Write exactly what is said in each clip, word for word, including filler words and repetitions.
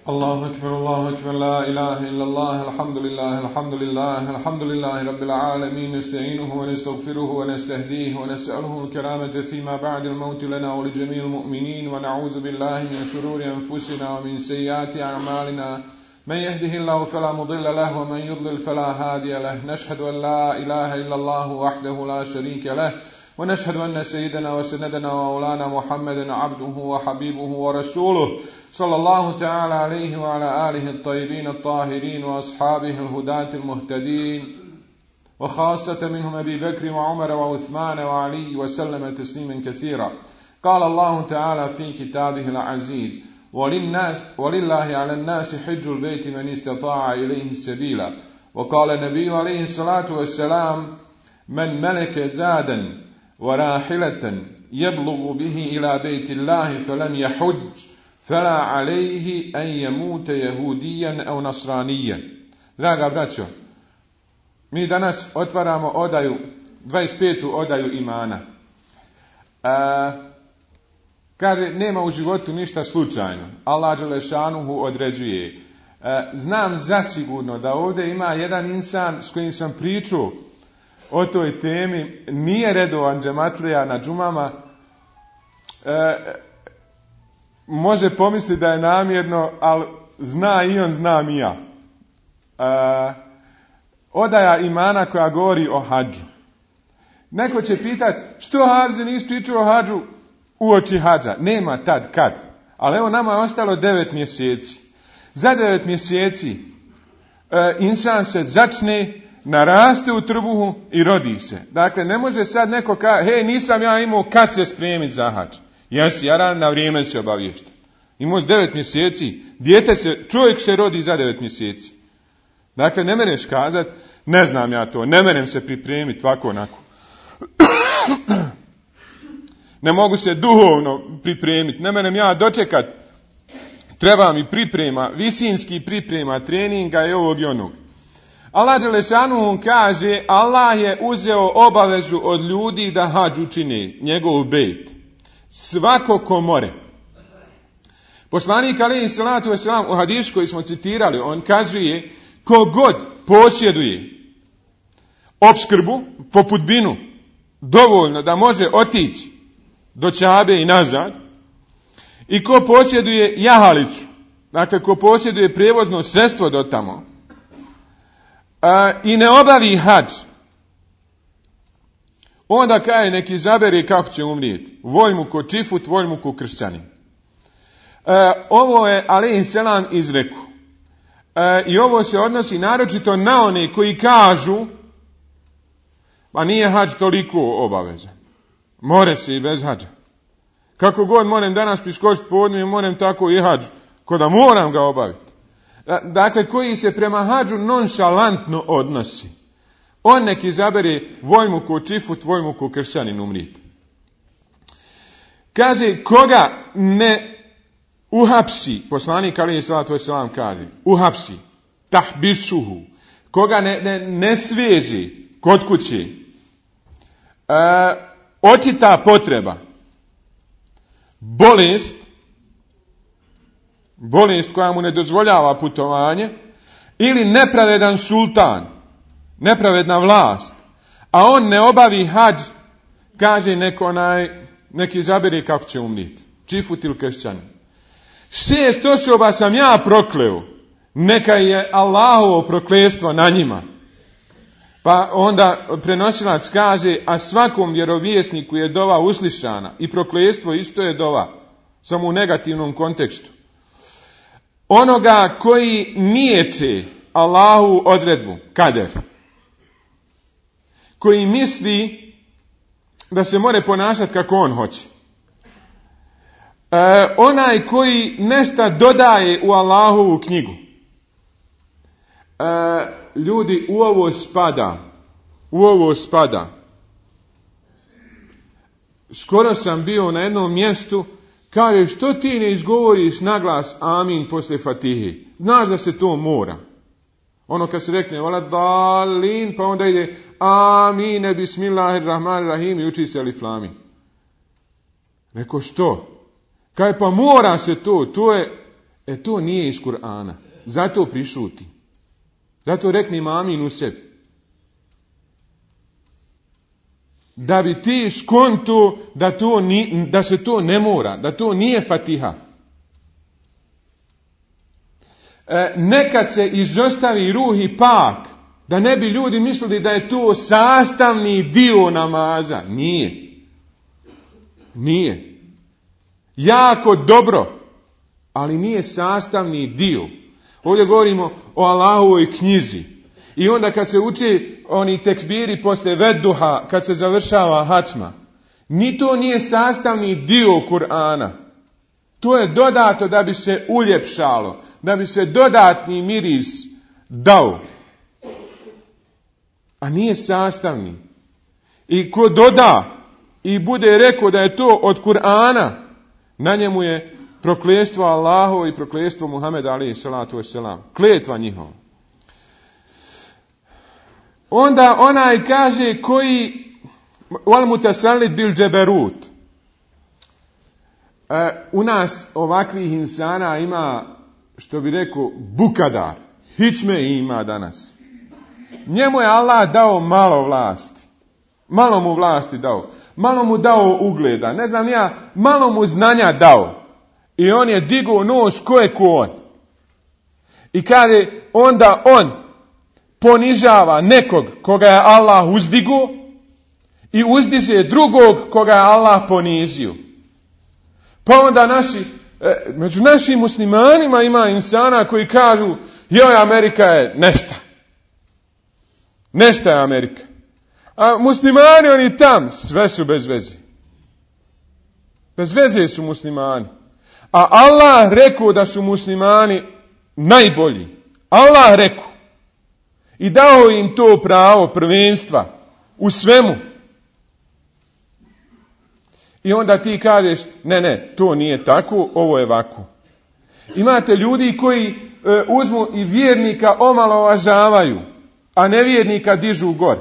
الله أكبر الله أكبر لا إله إلا الله الحمد لله الحمد لله الحمد لله رب العالمين نستعينه ونستغفره ونستهديه ونسأله الكرامة فيما بعد الموت لنا ولجميع المؤمنين ونعوذ بالله من شرور أنفسنا ومن سيئات أعمالنا من يهده الله فلا مضل له ومن يضلل فلا هادي له نشهد أن لا إله إلا الله وحده لا شريك له ونشهد أن سيدنا وسندنا ومولانا محمدا عبده وحبيبه ورسوله صلى الله تعالى عليه وعلى آله الطيبين الطاهرين وأصحابه الهداة المهتدين وخاصة منهم أبي بكر وعمر وعثمان وعلي وسلم تسليما كثيرا. قال الله تعالى في كتابه العزيز وللناس ولله على الناس حج البيت من استطاع إليه سبيلا. وقال النبي عليه الصلاة والسلام من ملك زادا وراحلة يبلغ به إلى بيت الله فلم يحج فلا عليه أن يموت يهوديا أو نصرانيا. Draga braćo, mi danas otvaramo odaju, dvadeset petu odaju imana. A, kaže, nema u životu ništa slučajno. Allah dželešanuhu određuje. A, znam zasigurno da ovdje ima jedan insan s kojim sam pričao o toj temi, nije redovan džematlija na džumama, e, može pomisliti da je namjerno, ali zna i on, znam i ja. E, odaja imana koja govori o hadžu. Neko će pitati, što Hafize nisi pričao o hadžu uoči hadža? Nema tad, kad. Ali evo nama je ostalo devet mjeseci. Za devet mjeseci e, insan se začne, naraste u trbuhu i rodi se. Dakle, ne može sad neko kaže, hej, nisam ja imao kad se spremiti za hadž. Jesi, ja na vrijeme se obaviješta. Imao devet mjeseci, dijete se, čovjek se rodi za devet mjeseci. Dakle, ne mereš kazat, ne znam ja to, ne merem se pripremiti ovako onako. Ne mogu se duhovno pripremiti, ne merem ja dočekat, treba mi priprema, visinski priprema, treninga i ovog i onog. Allah dželešanuhu kaže, Allah je uzeo obavezu od ljudi da hadž učine, njegov bejt. Svako ko more. Poslanik alejhi salatu vesselam u hadisu koji smo citirali, on kaže, kogod posjeduje opskrbu po putbinu dovoljno da može otići do Čabe i nazad, i ko posjeduje jahalicu, dakle ko posjeduje prijevozno sredstvo do tamo, a, i ne obavi hadž, onda kaže neki izabere kako će umrijeti. Volj mu ko čifut, volj mu ko kršćanin. E, ovo je alejhi selam izreku. E, I ovo se odnosi naročito na one koji kažu, pa nije hadž toliko obavezan. More se i bez hadža. Kako god moram danas priskočiti podne, moram tako i hadž, ko da moram ga obaviti. Dakle, koji se prema hadžu nonšalantno odnosi. On nek izabere volj mu ko čifut, volj mu ko kršćanin umrijeti. Kaže, koga ne uhapsi, poslanik alejhi salatu vesselam kaže, uhapsi, tahbisuhu, koga ne, ne, ne sveže kod kuće, e, očita potreba, bolest, bolest koja mu ne dozvoljava putovanje, ili nepravedan sultan, nepravedna vlast, a on ne obavi hadž, kaže neko onaj, neki izabere kako će umrijeti, čifut ili kršćanin. Šest osoba sam ja prokleo, neka je Allahovo prokletstvo na njima. Pa onda prenosilac kaže, a svakom vjerovjesniku je dova uslišana i prokletstvo isto je dova, samo u negativnom kontekstu. Onoga koji niječe Allahu odredbu, kader, koji misli da se more ponašati kako on hoće. E, onaj koji nešto dodaje u Allahovu knjigu. E, ljudi, u ovo spada, u ovo spada. Skoro sam bio na jednom mjestu, kaže, što ti ne izgovoriš naglas amin posle Fatihe? Znaš da se to mora. Ono kad se rekne, vala dalin, pa onda ide amine, bismillahirrahmanirrahim i uči se alif lam mim. Reko, što? Kaže, pa mora se to, to je E to nije iz Kur'ana. Zato prišuti. Zato rekni amin u sebi. Da bi ti skonto da, to ni, da se to ne mora, da to nije Fatiha. E, nekad se izostavi ruh i pak, da ne bi ljudi mislili da je to sastavni dio namaza. Nije. Nije. Jako dobro, ali nije sastavni dio. Ovdje govorimo o Allahovoj knjizi. I onda kad se uči oni tekbiri posle vedduha, kad se završava hatma, ni to nije sastavni dio Kur'ana. To je dodato da bi se uljepšalo, da bi se dodatni miris dao. A nije sastavni. I ko doda i bude rekao da je to od Kur'ana, na njemu je prokletstvo Allahovo i prokletstvo Muhameda alejhi salatu vesselam. Kletva njihova. Onda onaj kaže koji wal mutasallid bil džeberut. E, u nas ovakvih insana ima, što bi rekao, bukadar. Hičme ima danas. Njemu je Allah dao malo vlasti. Malo mu vlasti dao. Malo mu dao ugleda. Ne znam ja, malo mu znanja dao. I on je digao nos ko je ko on. I kaže, onda on ponižava nekog koga je Allah uzdigo i uzdiže drugog koga je Allah ponizio. Pa onda naši, među našim muslimanima ima insana koji kažu, joj, Amerika je nešta. Nešta je Amerika. A muslimani oni tam, sve su bez veze. Bez veze su muslimani. A Allah rekao da su muslimani najbolji. Allah rekao. I dao im to pravo prvenstva u svemu. I onda ti kažeš, ne, ne, to nije tako, ovo je ovako. Imate ljudi koji e, uzmu i vjernika omalovažavaju, a nevjernika dižu gor.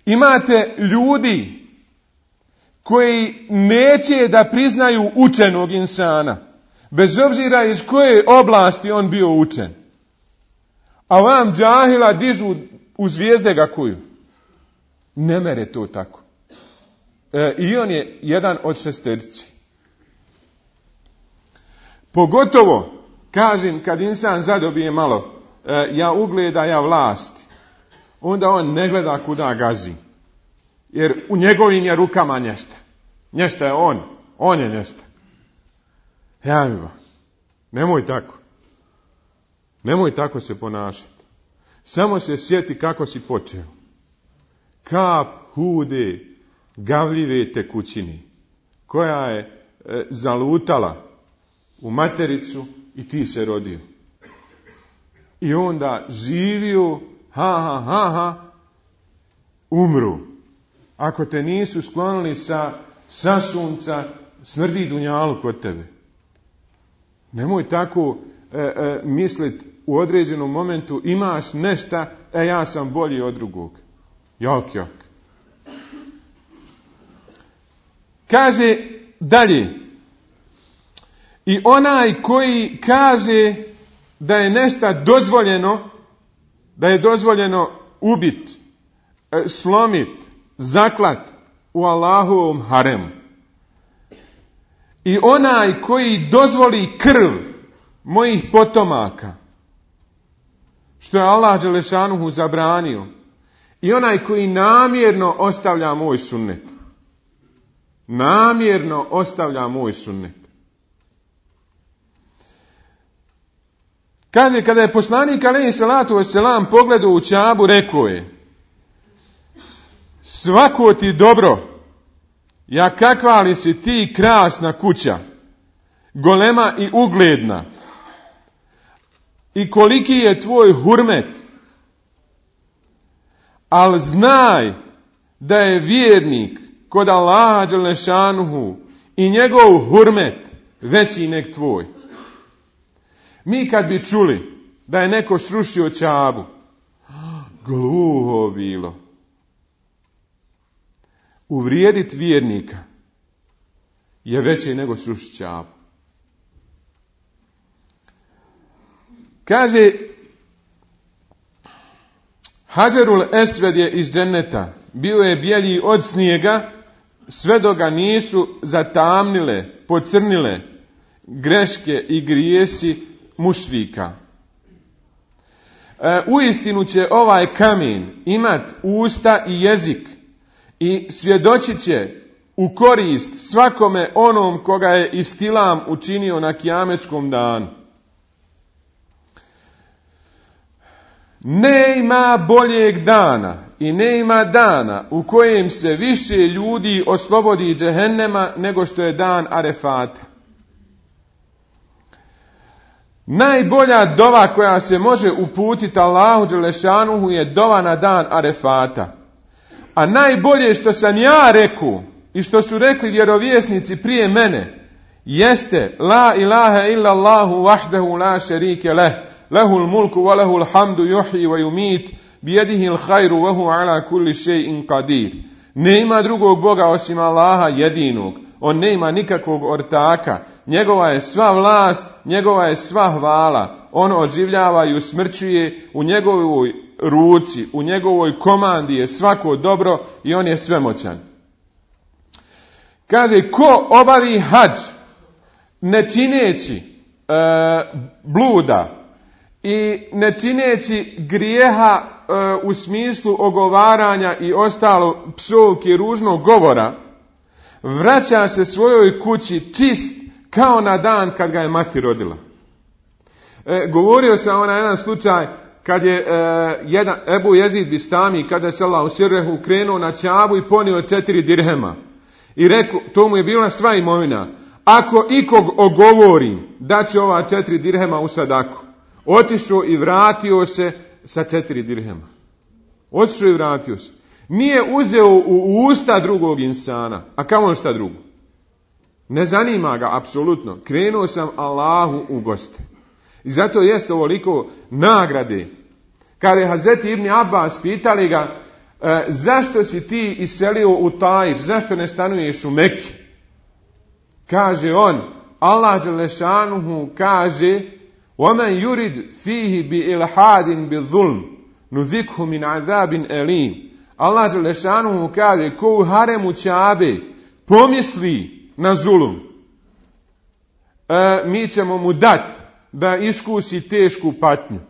Imate ljudi koji neće da priznaju učenog insana, bez obzira iz koje oblasti on bio učen. A vam džahila dižu u zvijezde ga kuju. Ne mere to tako. E, I on je jedan od šesterici. Pogotovo, kažem, kad insan zadobije malo e, ja ugleda, ja vlasti, onda on ne gleda kuda gazi. Jer u njegovim je rukama nješta. Nješta je on. On je nješta. Ja mi ba. Nemoj tako. Nemoj tako se ponašati. Samo se sjeti kako si počeo. Kap hude, gavljive tekućine, koja je e, zalutala u matericu i ti se rodio. I onda živio, ha, ha, ha, ha, umru. Ako te nisu sklonili sa, sa sunca, smrdi dunjalu kod tebe. Nemoj tako e, e, misliti u određenom momentu, imaš nešta, e ja sam bolji od drugog. Jak, jak. Kaže dalje. I onaj koji kaže da je nešta dozvoljeno, da je dozvoljeno ubit, slomit, zaklat u Allahovom haremu. I onaj koji dozvoli krv mojih potomaka, što je Allah dželešanuhu zabranio, i onaj koji namjerno ostavlja moj sunnet. Namjerno ostavlja moj sunnet. Kaže, kada je poslanik alejhi salatu vesselam pogledao u Čabu, rekao je, svako ti dobro, ja kakva li si ti krasna kuća, golema i ugledna, i koliki je tvoj hurmet, ali znaj da je vjernik kod Allaha dželešanuhu i njegov hurmet veći nek tvoj. Mi kad bi čuli da je neko srušio Čabu, gluho bilo. Uvrijedit vjernika je veće nego srušiti Čabu. Kaže, Hadžerul Esved je iz dženneta, bio je bijelji od snijega, sve dok ga nisu zatamnile, pocrnile greške i grijesi mušrika. E, uistinu će ovaj kamen imat usta i jezik i svjedočit će u korist svakome onom koga je istilam učinio na kijametskom danu. Ne ima boljeg dana i ne ima dana u kojem se više ljudi oslobodi džehennema nego što je dan Arefata. Najbolja dova koja se može uputiti Allahu dželešanuhu je dova na dan Arefata. A najbolje što sam ja rekao i što su rekli vjerovjesnici prije mene jeste la ilaha illa Allahu wahdahu la šerike leh, lehul mulku wa lehul hamdu yuhyi wa yumit bijedihil hajru wa hu ala kulli še'in qadir. Ne ima drugog Boga osim Allaha jedinog. On ne ima nikakvog ortaka. Njegova je sva vlast, njegova je sva hvala. On oživljava i usmrćuje, u njegovoj ruci, u njegovoj komandi je svako dobro i on je svemoćan. Kaže, ko obavi hadž ne čineći e, bluda i ne čineći grijeha e, u smislu ogovaranja i ostalo psovki i ružnog govora, vraća se svojoj kući čist kao na dan kad ga je mati rodila. E, govorio sam ona jedan slučaj kad je e, jedan Ebu Jezid Bistami, kada je sallahu sirrehu krenuo na Čabu i ponio četiri dirhema. I rekao, to mu je bila sva imovina. Ako ikog ogovorim da će ova četiri dirhema u sadaku, otišao i vratio se sa četiri dirhema. Otišao i vratio se. Nije uzeo u usta drugog insana, a kamo šta drugo? Ne zanima ga apsolutno. Krenuo sam Allahu u goste. I zato jeste ovoliko nagrade. Kad je Hazreti Ibn Abbas pitali ga, e, zašto si ti iselio u Taif, zašto ne stanuješ u Mekki? Kaže on, Allah dželešanuhu kaže, وَمَنْ يُرِدْ فِيهِ بِإِلْحَادٍ بِظُلْمٍ نُذِكْهُ مِنْ عَذَابٍ أَلِيمٍ. Allah dželešanuhu kaže, ko u haremu Čabe pomisli na zulum, e, mi ćemo mu dati da iskusi tešku patnju.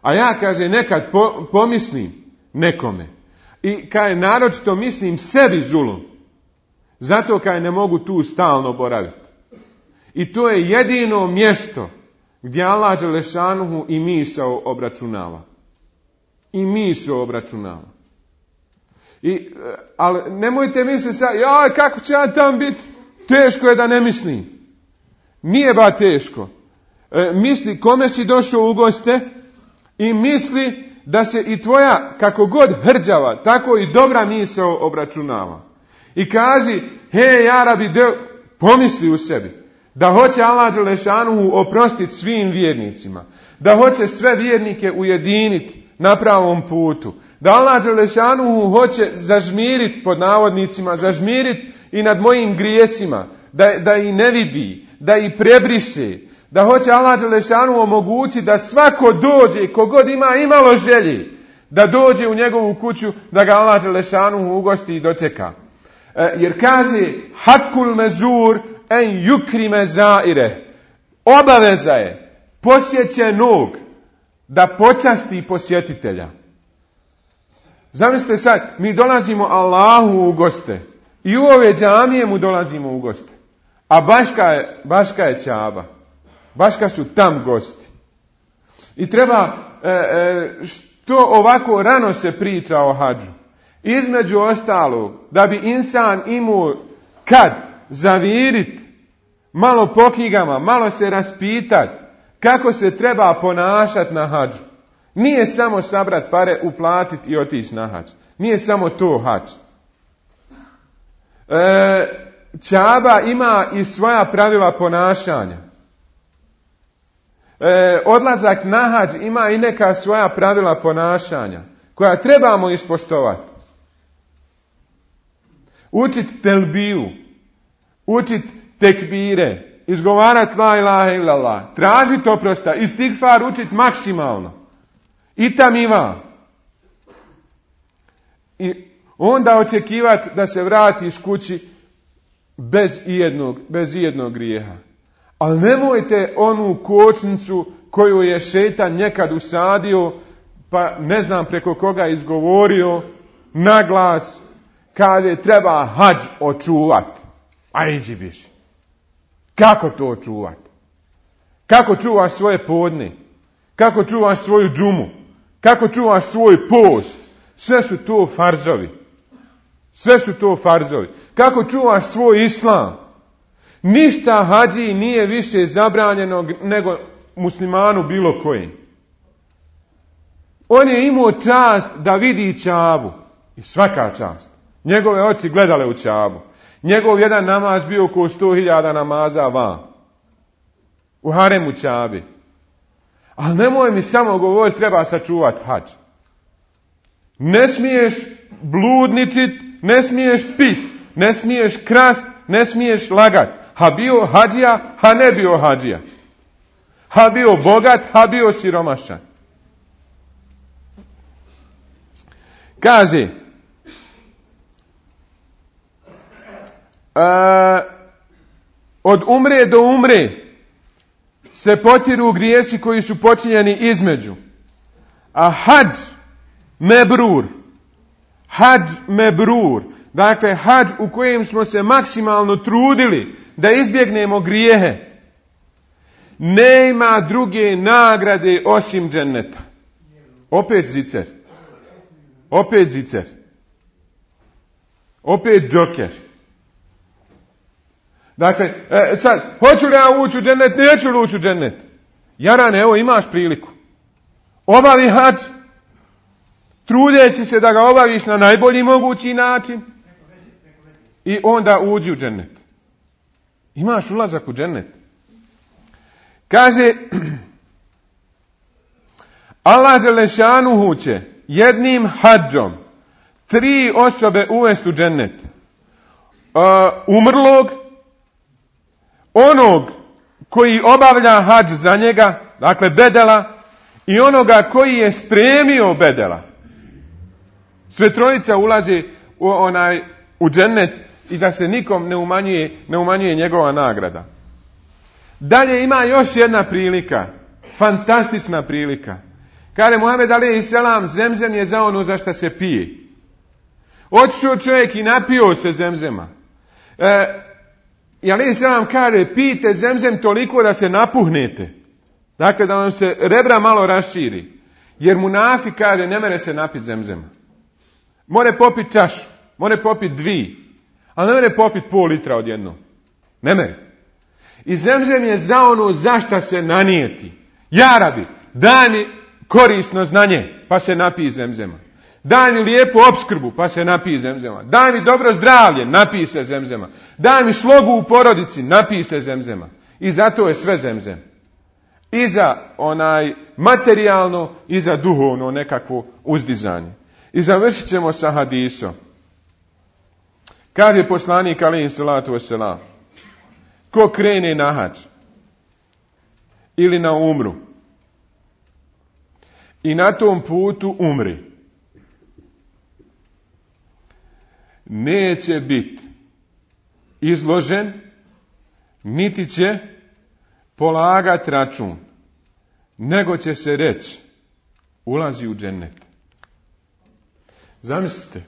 A ja, kaže, nekad po, pomislim nekome. I kaj naročito mislim sebi zulum. Zato kaj ne mogu tu stalno boraviti. I to je jedino mjesto gdje Allah dželešanuhu i misao obračunava. I misao obračunava. I, ali nemojte misliti sad, jaj, kako će ja tam biti? Teško je da ne mislim. Nije ba teško. E, misli kome si došao u goste i misli da se i tvoja, kako god hrđava, tako i dobra misao obračunava. I kaži, hej, jarabi, de, pomisli u sebi. Da hoće Allah dželešanuhu oprostiti svim vjernicima. Da hoće sve vjernike ujediniti na pravom putu. Da Allah dželešanuhu hoće zažmiriti, pod navodnicima, zažmiriti i nad mojim grijesima. Da, da i ne vidi, da i prebriše. Da hoće Allah dželešanuhu omogućiti da svako dođe, kogod ima imalo želje, da dođe u njegovu kuću, da ga Allah dželešanuhu ugosti i dočeka. E, jer kaže, hakul mezur en yukrime zaire. Obaveza je posjećenog da počasti posjetitelja. Zamislite sad, mi dolazimo Allahu u goste i u ove džamije mu dolazimo u goste. A Baška je, Baška je Čaba. Baška su tam gosti. I treba, e, e, što ovako rano se priča o hadžu. Između ostalog, da bi insan imao kad zavirit, malo po knjigama, malo se raspitat kako se treba ponašati na hadžu. Nije samo sabrat pare, uplatiti i otići na hadž. Nije samo to hadž. E, Čaba ima i svoja pravila ponašanja. E, odlazak na hadž ima i neka svoja pravila ponašanja koja trebamo ispoštovati. Učit telbiju, učit tekbire izgovarati la ilaha illallah, tražiti oprosta, istigfar učiti maksimalno. I tamiva. I onda očekivati da se vratiš kući bez ijednog, bez ijednog grijeha. Ali nemojte onu kočnicu koju je šejtan nekad usadio, pa ne znam preko koga izgovorio, na glas, kaže treba hadž očuvati. A iđi biš. Kako to očuvati? Kako čuvaš svoje podne? Kako čuvaš svoju džumu? Kako čuvaš svoj post? Sve su to farzovi. Sve su to farzovi. Kako čuvaš svoj islam? Ništa hadži nije više zabranjeno nego muslimanu bilo kojim. On je imao čast da vidi Čabu. I svaka čast. Njegove oči gledale u Čabu. Njegov jedan namaz bio oko sto hiljada namaza van. U haremu Čabi. Ali nemoj mi samo govoriti treba sačuvati hadž. Ne smiješ bludničit, ne smiješ pit, ne smiješ krast, ne smiješ lagat. Ha bio hadžija, ha ne bio hadžija. Ha bio bogat, ha bio siromašan. Kaže, a, od umre do umre se potiru grijesi koji su počinjeni između. A hadž mebrur, hadž mebrur, dakle hadž u kojem smo se maksimalno trudili da izbjegnemo grijehe, nema druge nagrade osim dženneta. Opet zicer. Opet zicer. Opet džoker. Dakle, e, sad, hoću li ja ući u džennet, neću li ući u džennet? Jarane, evo imaš priliku. Obavi hadž, trudeći se da ga obaviš na najbolji mogući način i onda uđi u džennet. Imaš ulazak u džennet. Kaže, Allah dželešanuhu će jednim hadžom tri osobe uvesti u džennet. Uh, umrlog, onog koji obavlja hadž za njega, dakle bedela, i onoga koji je spremio bedela. Sve trojica ulazi u onaj u džennet i da se nikom ne umanjuje, ne umanjuje njegova nagrada. Dalje ima još jedna prilika, fantastična prilika. Kaže Muhammed alejhi selam, zemzem je za ono za što se pije. Otišao čovjek i napio se zemzema. E, I alejhi selam kaže, pijte zemzem toliko da se napuhnete. Dakle, da vam se rebra malo raširi. Jer munafik kaže, ne mere se napiti zemzema. More popiti čašu, more popiti dvi, ali ne mere popiti pol litra odjedno. Ne mere. I zemzem je za ono za šta se nanijeti. Ja rabi, daj mi korisno znanje, pa se napij zemzema. Daj mi lijepu opskrbu, pa se napij zemzema. Daj mi dobro zdravlje, napij se zemzema. Daj mi slogu u porodici, napij se zemzema. I zato je sve zemzem. I za onaj materijalno, i za duhovno nekakvo uzdizanje. I završit ćemo sa hadisom. Kaže poslanik alejhi salatu vesselam, ko krene na hadž ili na umru i na tom putu umri, neće biti izložen, niti će polagati račun, nego će se reći, ulazi u džennet. Zamislite,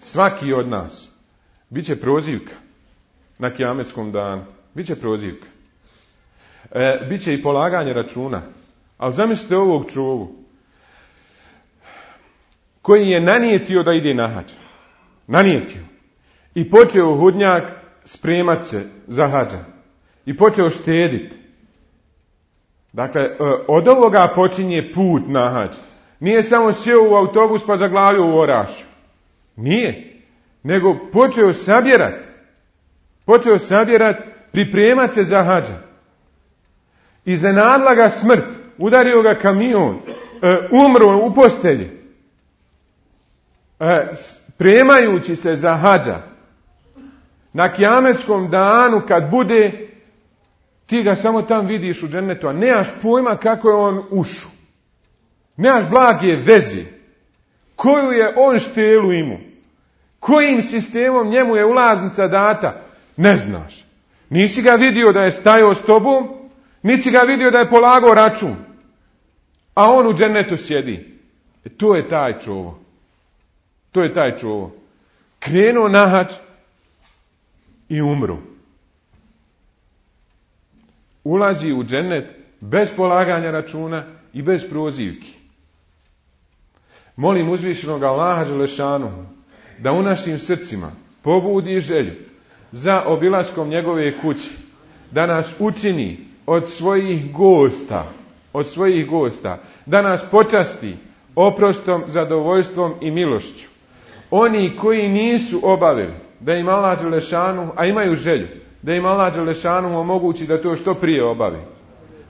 svaki od nas bit će prozivka na kijametskom danu. Biće prozivka. E, biće i polaganje računa. Ali zamislite ovog čovu koji je nanijetio da ide na hadž. Nanijetio. I počeo hudnjak spremat se za hadža. I počeo štediti. Dakle, od ovoga počinje put na hadž. Nije samo sjeo u autobus pa zaglavio u Orašu. Nije. Nego počeo sabjerati. Počeo sabjerati, pripremat se za hadža. Iznenadla ga smrt. Udario ga kamion. E, umro u postelji. E, spremajući se za hadža. Na kijametskom danu kad bude, ti ga samo tam vidiš u džennetu, a nemaš pojma kako je on ušao. Nemaš blage veze. Koju je on štelu imao? Kojim sistemom njemu je ulaznica data? Ne znaš. Nisi ga vidio da je stajao s tobom, nisi ga vidio da je polagao račun. A on u džennetu sjedi. E, to je taj čovo. To je taj čovo. Krenuo na hađ i umru. Ulazi u džennet bez polaganja računa i bez prozivki. Molim uzvišenog Allaha Đelešanuhu da u našim srcima pobudi želju za obilaskom njegove kuće, da nas učini od svojih gosta, od svojih gosta, da nas počasti oprostom, zadovoljstvom i milošću. Oni koji nisu obavili da im Allah Đelešanuhu, a imaju želju, da im Allah Đelešanuhu omogući da to što prije obavi.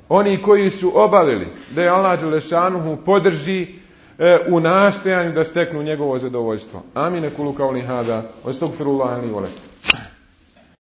Oni koji su obavili da je Allah Đelešanuhu podrži e, u nastojanju da steknu njegovo zadovoljstvo. Amin. Kulu kauli hada. Astagfirullah li wa lakum.